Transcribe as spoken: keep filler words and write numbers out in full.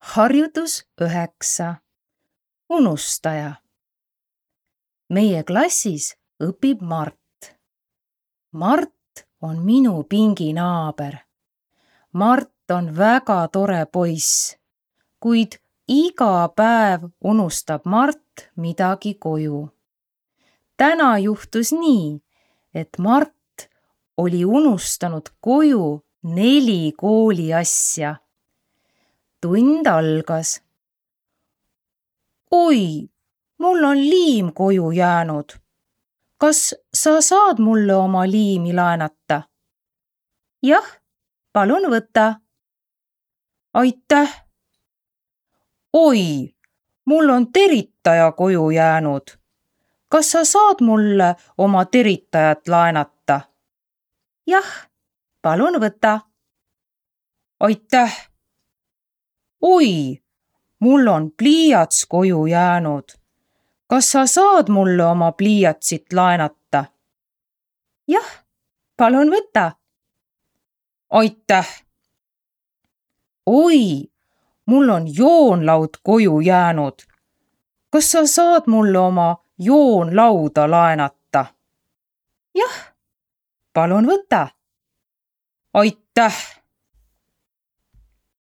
Harjutus üheksa. Unustaja. Meie klassis õpib Mart. Mart on minu pinginaaber. Mart on väga tore poiss, kuid iga päev unustab Mart midagi koju. Täna juhtus nii, et Mart oli unustanud koju neli kooliasja. Tund algas. Oi, mul on liim koju jäänud. Kas sa saad mulle oma liimi laenata? Jah, palun võta. Aitäh. Oi, mul on teritaja koju jäänud. Kas sa saad mulle oma teritajat laenata? Jah, palun võta. Aitäh. Oi, mul on pliiats koju jäänud. Kas sa saad mulle oma pliiatsit laenata? Jah, palun võta. Aitäh. Oi, mul on joonlaud koju jäänud. Kas sa saad mulle oma joonlauda laenata? Jah, palun võta. Aitäh.